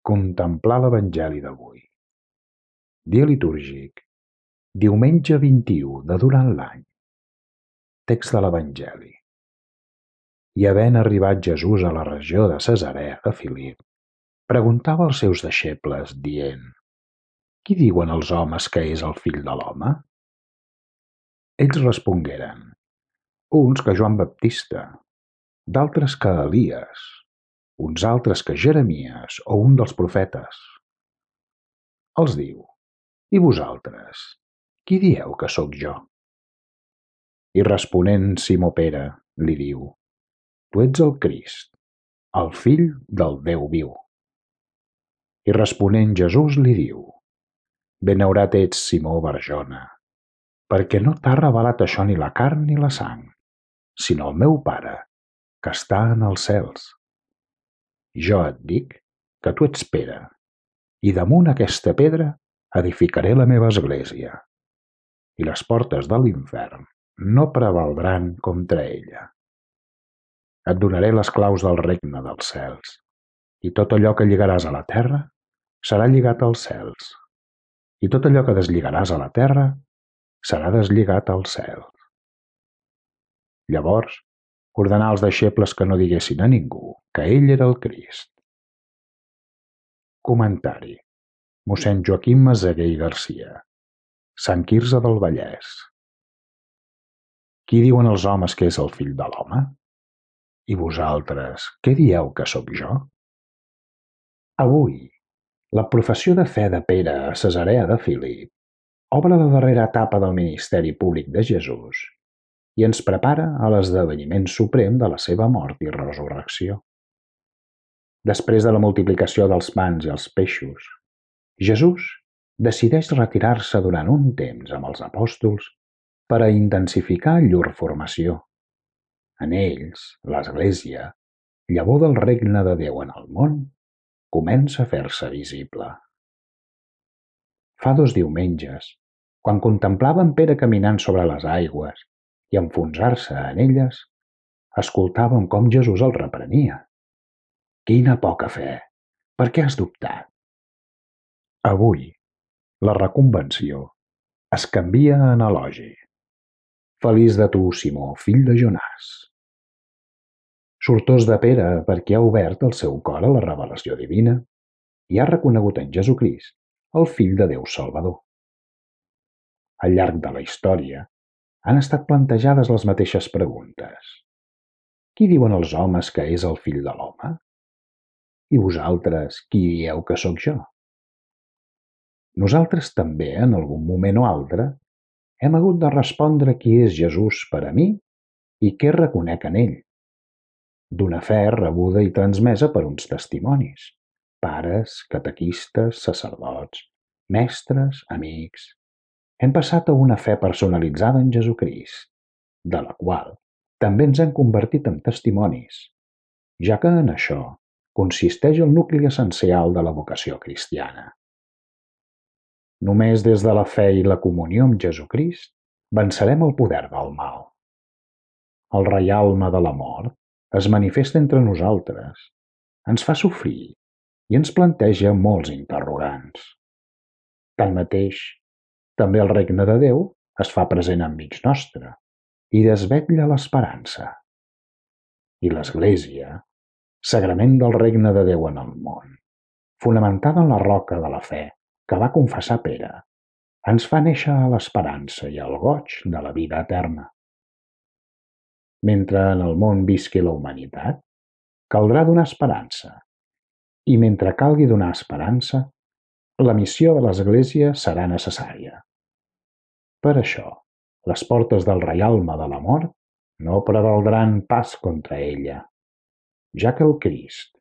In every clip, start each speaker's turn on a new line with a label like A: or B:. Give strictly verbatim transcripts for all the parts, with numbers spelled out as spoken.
A: Contemplar l'Evangeli d'avui. Dia litúrgic, diumenge vint-i-u de durant l'any. Text de l'Evangeli. I havent arribat Jesús a la regió de Cesarea de Filip, preguntava als seus deixebles, dient: Qui diuen els homes que és el fill de l'home? Ells respongueren: uns que Joan Baptista, d'altres que Elies, uns altres que Jeremies o un dels profetes. Els diu: I vosaltres, qui dieu que sóc jo? I responent Simó Pere, li diu: Tu ets el Crist, el Fill del Déu viu. I responent Jesús li diu: Benaurat ets, Simó Barjona, perquè no t'ha revelat això ni la carn ni la sang, sinó el meu Pare, que està en els cels. Jo et dic que tu ets Pere, i damunt aquesta pedra edificaré la meva església, i les portes de l'infern no prevaldran contra ella. Et donaré les claus del regne dels cels, i tot allò que lligaràs a la terra serà lligat als cels, i tot allò que deslligaràs a la terra serà deslligat als cels. Llavors ordenà als deixebles que no diguessin a ningú que ell era el Crist. Comentari: mossèn Joaquim Meseguer i Garcia, Sant Quirze del Vallès. Qui diuen els homes que és el fill de l'home? I vosaltres, què dieu que sóc jo? Avui, la professió de fe de Pere a Cesarea de Filip obre la darrera etapa del ministeri públic de Jesús i ens prepara a l'esdeveniment suprem de la seva mort i resurrecció. Després de la multiplicació dels pans i els peixos, Jesús decideix retirar-se durant un temps amb els apòstols per a intensificar llur formació. En ells, l'Església, llavor del regne de Déu en el món, comença a fer-se visible. Fa dos diumenges, quan contemplàvem Pere caminant sobre les aigües i enfonsar-se en elles, escoltàvem com Jesús el reprenia. Quina poca fe! Per què has dubtat? Avui, la reconvenció es canvia en elogi. Feliç de tu, Simó, fill de Jonàs. Sortós de Pere perquè ha obert el seu cor a la revelació divina i ha reconegut en Jesucrist el Fill de Déu Salvador. Al llarg de la història han estat plantejades les mateixes preguntes. Qui diuen els homes que és el fill de l'home? I vosaltres, qui dieu que sóc jo? Nosaltres també, en algun moment o altre, hem hagut de respondre qui és Jesús per a mi i què reconec en ell. D'una fe rebuda i transmesa per uns testimonis, pares, catequistes, sacerdots, mestres, amics. Hem passat a una fe personalitzada en Jesucrist, de la qual també ens hem convertit en testimonis, ja que en això consisteix el nucli essencial de la vocació cristiana. Només des de la fe i la comunió amb Jesucrist vencerem el poder del mal. El reialme de la mort es manifesta entre nosaltres, ens fa sofrir i ens planteja molts interrogants. Tanmateix, també el regne de Déu es fa present enmig nostre i desvetlla l'esperança. I l'Església, sagrament del regne de Déu en el món, fonamentada en la roca de la fe que va confessar Pere, ens fa néixer a l'esperança i al goig de la vida eterna. Mentre en el món visqui la humanitat, caldrà donar esperança, i mentre calgui donar esperança, la missió de l'Església serà necessària. Per això, les portes del reialme de la mort no prevaldran pas contra ella, ja que el Crist,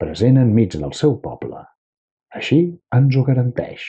A: present enmig del seu poble, així ens ho garanteix.